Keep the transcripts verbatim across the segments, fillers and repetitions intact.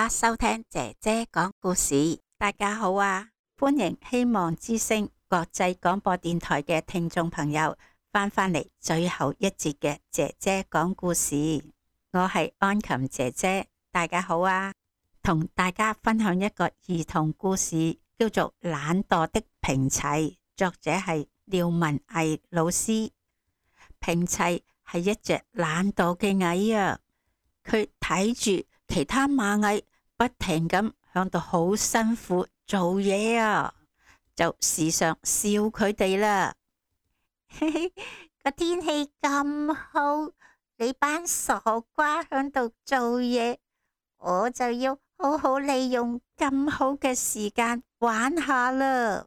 家收聽姐姐講故事。大家好啊，歡迎希望之聲國際廣播電台嘅聽眾朋友翻返嚟最後一節嘅姐姐講故事。我係安琴姐姐，大家好啊，同大家分享一個兒童故事，叫做《懶惰的平齊》，作者係廖文毅老師。平齊係一隻懶惰嘅蟻啊，佢睇住其他螞蟻不停咁響度好辛苦做嘢啊，就時常笑佢哋啦。嘿嘿，個天氣咁好，你班傻瓜響度做嘢，我就要好好利用咁好嘅時間玩下啦。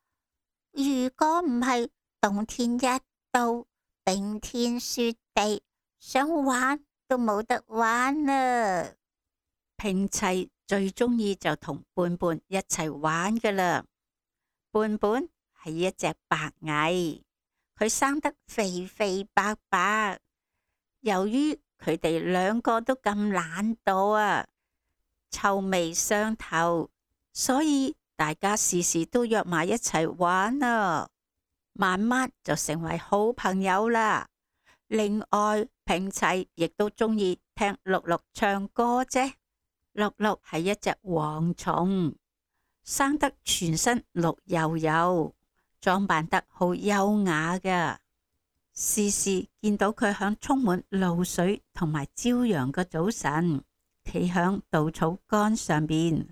如果唔係冬天一到，冰天雪地，想玩都冇得玩啦。平齊最中意就同胖胖一齊玩噶啦。胖胖係一隻白蟻，佢生得肥肥白白。由於佢哋兩個都咁懶惰啊，臭味相投，所以大家時時都約埋一齊玩啊，慢慢就成為好朋友啦。另外，平齊亦都中意聽綠綠唱歌啫。綠綠係一隻蝗蟲，生得全身綠油油，裝扮得好優雅噶。時時見到佢響充滿露水同埋朝陽嘅早晨，企響稻草杆上邊，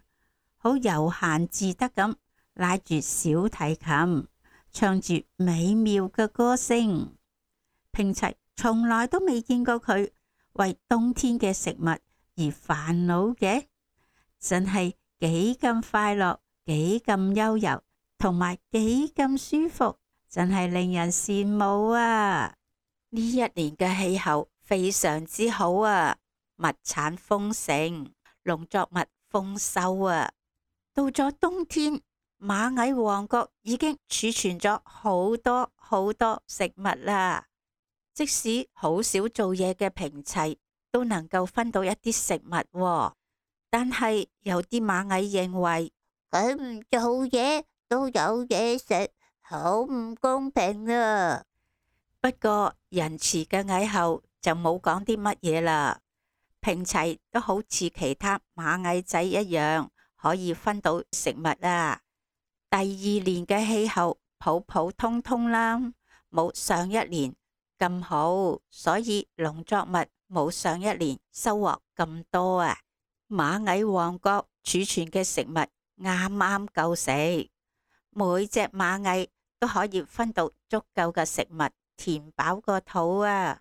好悠閒自得咁拉住小提琴，唱住美妙嘅歌聲。平齊從來都未見過佢為冬天嘅食物而煩惱嘅，真係幾咁快樂，幾咁悠遊，同埋幾咁舒服，真係令人羨慕啊！呢一年嘅氣候非常之好啊，物產豐盛，農作物豐收啊。到咗冬天，螞蟻王國已經儲存咗好多好多食物啦。即使好少做嘢嘅平齊，都能夠分到一啲食物喎，但係有啲螞蟻認為佢唔做嘢都有嘢食，好唔公平啊！不過仁慈嘅蟻后就冇講啲乜嘢啦。平齊都好似其他螞蟻仔一樣，可以分到食物啊。第二年嘅氣候普普通通啦，冇上一年咁好，所以農作物冇上一年收穫咁多啊。螞蟻王國儲存嘅食物啱啱夠食，每隻螞蟻都可以分到足夠嘅食物，填飽個肚啊。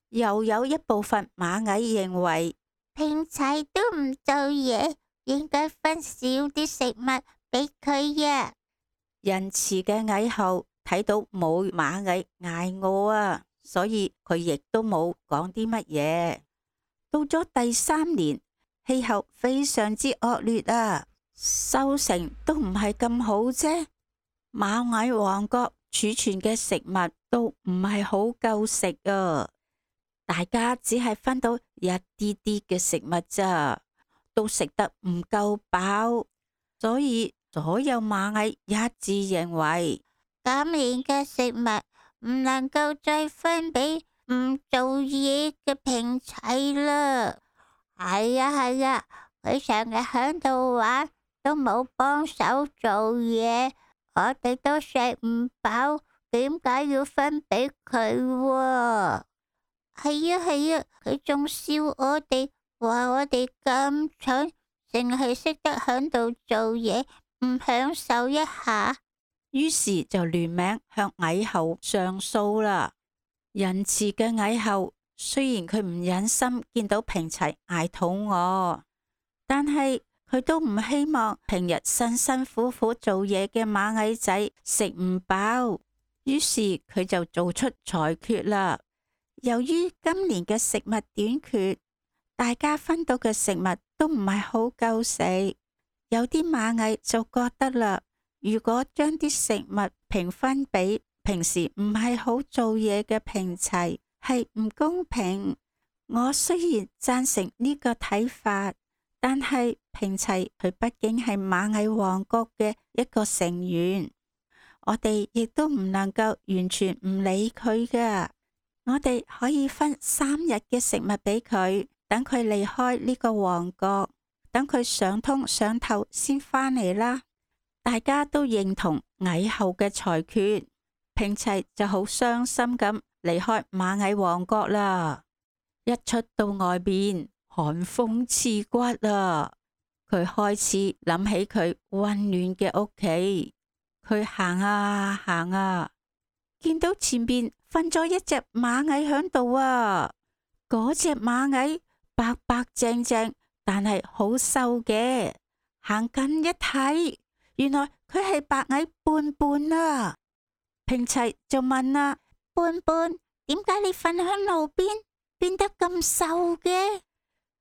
又有一部分螞蟻認為平齊都唔做嘢，應該分少啲食物俾佢呀。仁慈嘅蟻后睇到冇螞蟻挨餓啊，所以佢亦都冇講啲乜嘢。到咗第三年，氣候非常之惡劣啊，收成都唔係咁好啫。螞蟻王國儲存嘅食物都唔係好夠食啊，大家只係分到一啲啲嘅食物咋，都食得唔夠飽，所以所有螞蟻一致認為今年嘅食物唔能夠再分俾唔做嘢嘅平齊啦。係啊係啊，佢成日響度玩，都冇幫手做嘢，我哋都食唔飽，點解要分俾佢喎？係啊係啊，佢仲笑我哋，話我哋咁蠢，淨係識得響度做嘢，唔享受一下。於是就聯名向蟻后上訴啦。仁慈嘅蟻后雖然佢唔忍心見到平齊挨肚餓，但係佢都唔希望平日辛辛苦苦做嘢嘅螞蟻仔食唔飽。於是佢就做出裁決啦。由於今年嘅食物短缺，大家分到嘅食物都唔係好夠食。有啲螞蟻就覺得啦，如果將啲食物平分俾平時唔係好做嘢嘅平齊，係唔公平。我雖然贊成呢個睇法，但係平齊佢畢竟係螞蟻王國嘅一個成員，我哋亦都唔能夠完全唔理佢噶。我哋可以分三日嘅食物俾佢，等佢離開呢個王國，等佢上通上透先返嚟啦。大家都認同蟻后嘅裁決，平齊就好傷心咁離開螞蟻王國啦。一出到外邊，寒風刺骨啦，佢開始諗起佢溫暖嘅屋企。佢行啊行啊，見到前邊瞓咗一隻螞蟻響度啊！嗰隻螞蟻白白淨淨，但係好瘦嘅。行近一睇，原來佢係白蟻胖胖啊！平齊就問啦：胖胖，點解你瞓響路邊，變得咁瘦嘅？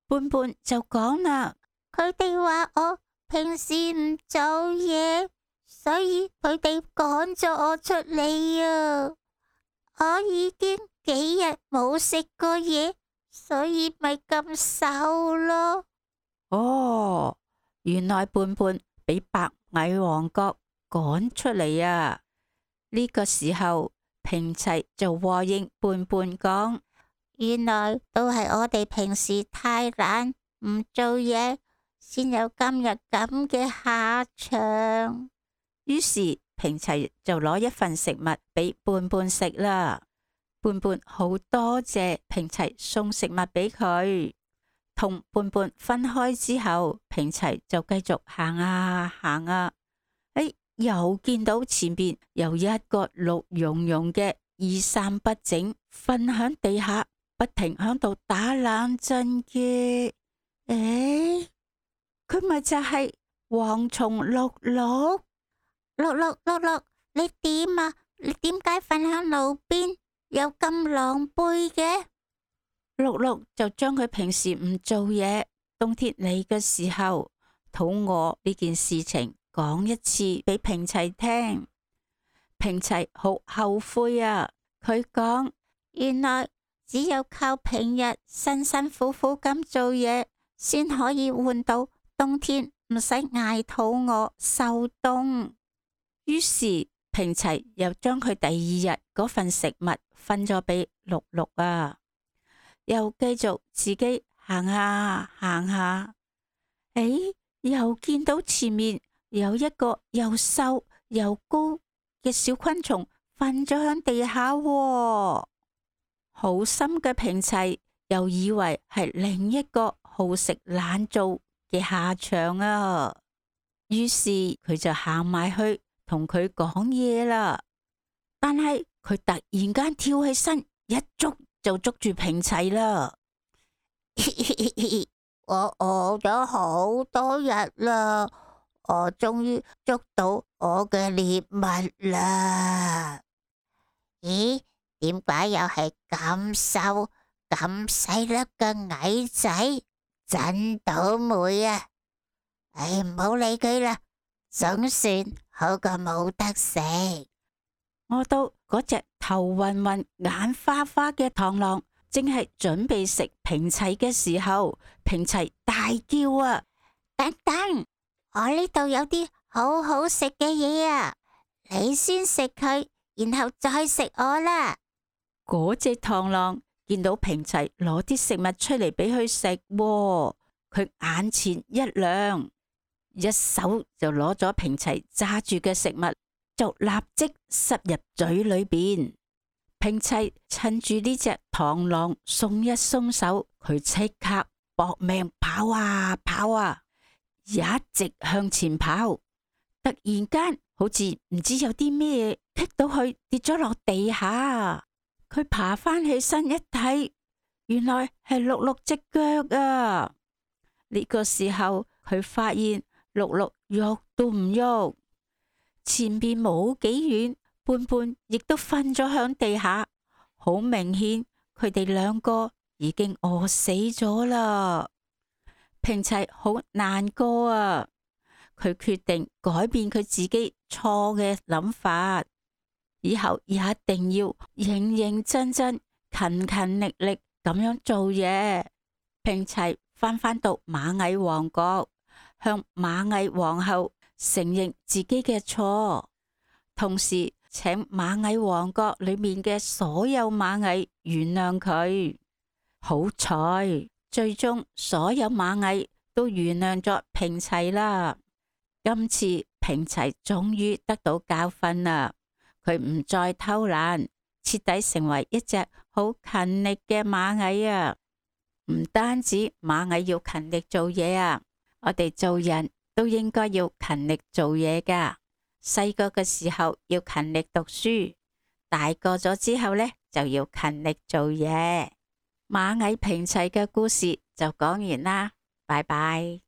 胖胖就講啦：佢哋話我平時唔做嘢，所以佢哋趕咗我出嚟啊！我已經幾日冇食過嘢，所以咪咁瘦咯。哦，原來胖胖俾白蟻王國趕出嚟啊！呢個時候，平齊就和應胖胖講：原來都係我哋平時太懶唔做嘢，先有今日咁嘅下場。於是平齊就攞一份食物俾胖胖食啦。胖胖好多謝平齊送食物俾佢。同胖胖分開之後，平齊就繼續行啊行啊，哎，又見到前邊有一個綠茸茸嘅衣衫不整，瞓響地下，不停響度打冷震嘅。誒，佢咪就係蝗蟲綠綠？綠綠綠綠，你點啊？你點解瞓響路邊，又咁狼狽嘅？綠綠就將佢平時唔做嘢，冬天嚟嘅時候肚餓呢件事情講一次俾平齊聽。平齊好後悔啊！佢講，原來只有靠平日辛辛苦苦咁做嘢，先可以換到冬天唔使挨肚餓受凍。於是平齊又將佢第二日嗰份食物分咗俾綠綠啊，又繼續自己行下行下，誒，又見到前面有一個又瘦又高嘅小昆蟲瞓咗響地下喎。好心嘅平齊又以為係另一個好食懶做嘅下場啊，於是佢就行埋去同佢講嘢啦。但係佢突然間跳起身，一捉就捉住平齊啦。我餓咗好多日啦，我終於捉到我嘅獵物啦。咦？點解又係咁瘦咁細粒嘅蟻仔？真倒霉啊！唉，唔好理佢啦，總算好過冇得食。我到嗰隻頭暈暈、眼花花嘅螳螂正係準備食平齊嘅時候，平齊大叫啊！等等，我呢度有啲好好食嘅嘢啊！你先食佢，然後再食我啦。嗰隻螳螂見到平齊攞啲食物出嚟俾佢食，佢眼前一亮，一手就攞咗平齊揸住嘅食物，就立即塞入嘴裏邊。平齊趁住呢隻螳螂鬆一鬆手，佢即刻搏命跑啊跑啊，一直向前跑。突然間，好似唔知有啲咩棘到佢，跌咗落地下。佢爬翻起身一睇，原來係綠綠隻腳啊！呢個時候，佢發現綠綠喐都唔喐，前邊冇幾遠，胖胖亦都瞓咗響地下，好明顯佢哋兩個已經餓死咗啦。平齊好難過啊！佢決定改變佢自己錯嘅諗法。以後一定要認認真真、勤勤力力咁樣做嘢。平齊翻返到螞蟻王國，向螞蟻皇后承認自己嘅錯，同時請螞蟻王國裏面嘅所有螞蟻原諒佢。好彩，最終所有螞蟻都原諒咗平齊啦。今次平齊終於得到教訓啦，佢唔再偷懶，徹底成為一隻好勤力嘅螞蟻啊！唔單止螞蟻要勤力做嘢啊，我哋做人都應該要勤力做嘢㗎。細個嘅時候要勤力讀書，大個咗之後呢，就要勤力做嘢。螞蟻平齊嘅故事就講完啦，拜拜。